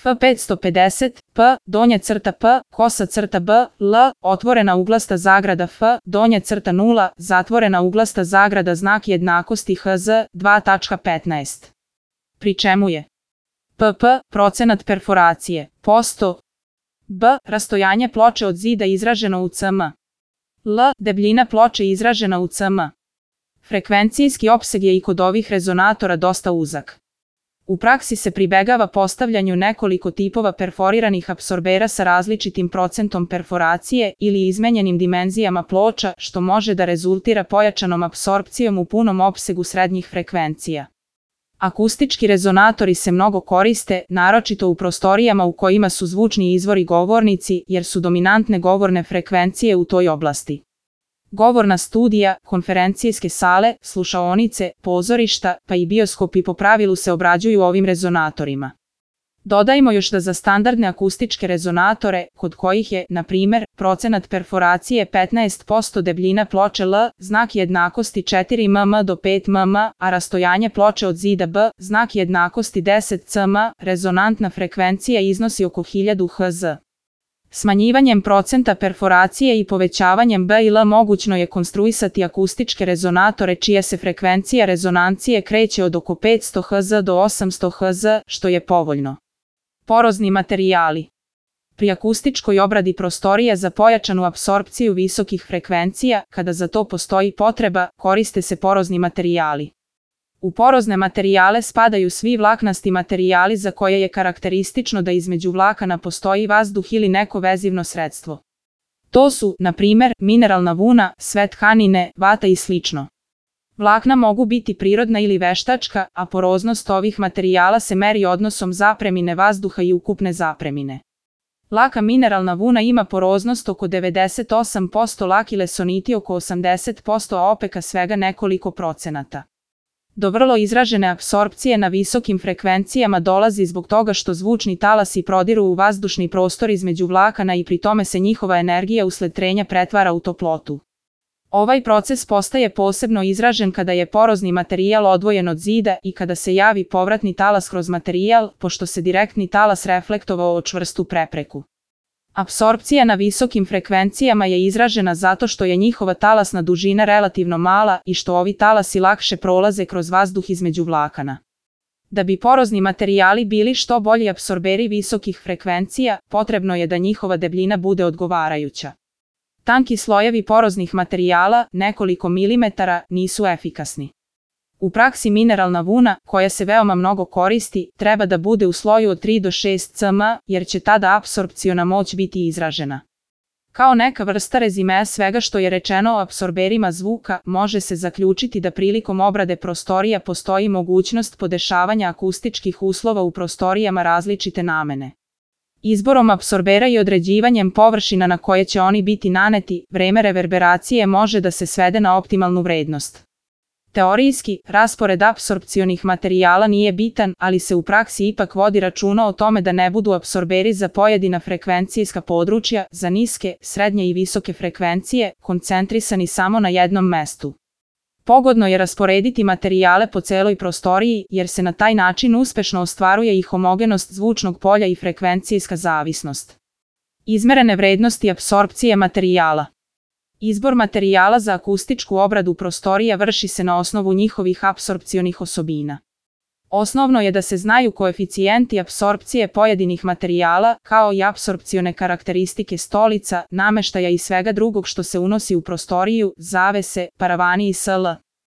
F550, P, donja crta P, kosa crta B, L, otvorena uglasta zagrada F, donja crta 0, zatvorena uglasta zagrada znak jednakosti HZ 2.15. Pri čemu je PP, procenat perforacije, posto, B, rastojanje ploče od zida izraženo u cm, L, debljina ploče izražena u cm. Frekvencijski opseg je i kod ovih rezonatora dosta uzak. U praksi se pribegava postavljanju nekoliko tipova perforiranih apsorbera sa različitim procentom perforacije ili izmenjenim dimenzijama ploča, što može da rezultira pojačanom apsorpcijom u punom opsegu srednjih frekvencija. Akustički rezonatori se mnogo koriste, naročito u prostorijama u kojima su zvučni izvori govornici, jer su dominantne govorne frekvencije u toj oblasti. Govorna studija, konferencijske sale, slušaonice, pozorišta, pa i bioskopi po pravilu se obrađuju ovim rezonatorima. Dodajmo još da za standardne akustičke rezonatore, kod kojih je, na primer, procenat perforacije 15% debljina ploče L, znak jednakosti 4 mm do 5 mm, a rastojanje ploče od zida B, znak jednakosti 10 cm, rezonantna frekvencija iznosi oko 1000 Hz. Smanjivanjem procenta perforacije i povećavanjem B i L mogućno je konstruisati akustičke rezonatore čija se frekvencija rezonancije kreće od oko 500 Hz do 800 Hz, što je povoljno. Porozni materijali. Pri akustičkoj obradi prostorija za pojačanu apsorpciju visokih frekvencija, kada za to postoji potreba, koriste se porozni materijali. U porozne materijale spadaju svi vlaknasti materijali za koje je karakteristično da između vlakana postoji vazduh ili neko vezivno sredstvo. To su, na primer, mineralna vuna, sve tkanine, vata i sl. Vlakna mogu biti prirodna ili veštačka, a poroznost ovih materijala se meri odnosom zapremine vazduha i ukupne zapremine. Laka mineralna vuna ima poroznost oko 98%, laki lesoniti oko 80%, a opeka svega nekoliko procenata. Do vrlo izražene apsorpcije na visokim frekvencijama dolazi zbog toga što zvučni talasi prodiru u vazdušni prostor između vlakana i pri tome se njihova energija usled trenja pretvara u toplotu. Ovaj proces postaje posebno izražen kada je porozni materijal odvojen od zida i kada se javi povratni talas kroz materijal, pošto se direktni talas reflektovao o čvrstu prepreku. Apsorpcija na visokim frekvencijama je izražena zato što je njihova talasna dužina relativno mala i što ovi talasi lakše prolaze kroz vazduh između vlakana. Da bi porozni materijali bili što bolji apsorberi visokih frekvencija, potrebno je da njihova debljina bude odgovarajuća. Tanki slojevi poroznih materijala, nekoliko milimetara, nisu efikasni. U praksi mineralna vuna, koja se veoma mnogo koristi, treba da bude u sloju od 3 do 6 cm, jer će tada apsorpciona moć biti izražena. Kao neka vrsta rezimea svega što je rečeno o apsorberima zvuka, može se zaključiti da prilikom obrade prostorija postoji mogućnost podešavanja akustičkih uslova u prostorijama različite namene. Izborom apsorbera i određivanjem površina na koje će oni biti naneti, vreme reverberacije može da se svede na optimalnu vrednost. Teorijski, raspored apsorpcionih materijala nije bitan, ali se u praksi ipak vodi računa o tome da ne budu apsorberi za pojedina frekvencijska područja, za niske, srednje i visoke frekvencije, koncentrisani samo na jednom mestu. Pogodno je rasporediti materijale po celoj prostoriji, jer se na taj način uspešno ostvaruje i homogenost zvučnog polja i frekvencijska zavisnost. Izmerene vrednosti apsorpcije materijala. Izbor materijala za akustičku obradu prostorija vrši se na osnovu njihovih apsorpcionih osobina. Osnovno je da se znaju koeficijenti apsorpcije pojedinih materijala, kao i apsorpcione karakteristike stolica, nameštaja i svega drugog što se unosi u prostoriju, zavese, paravani i sl.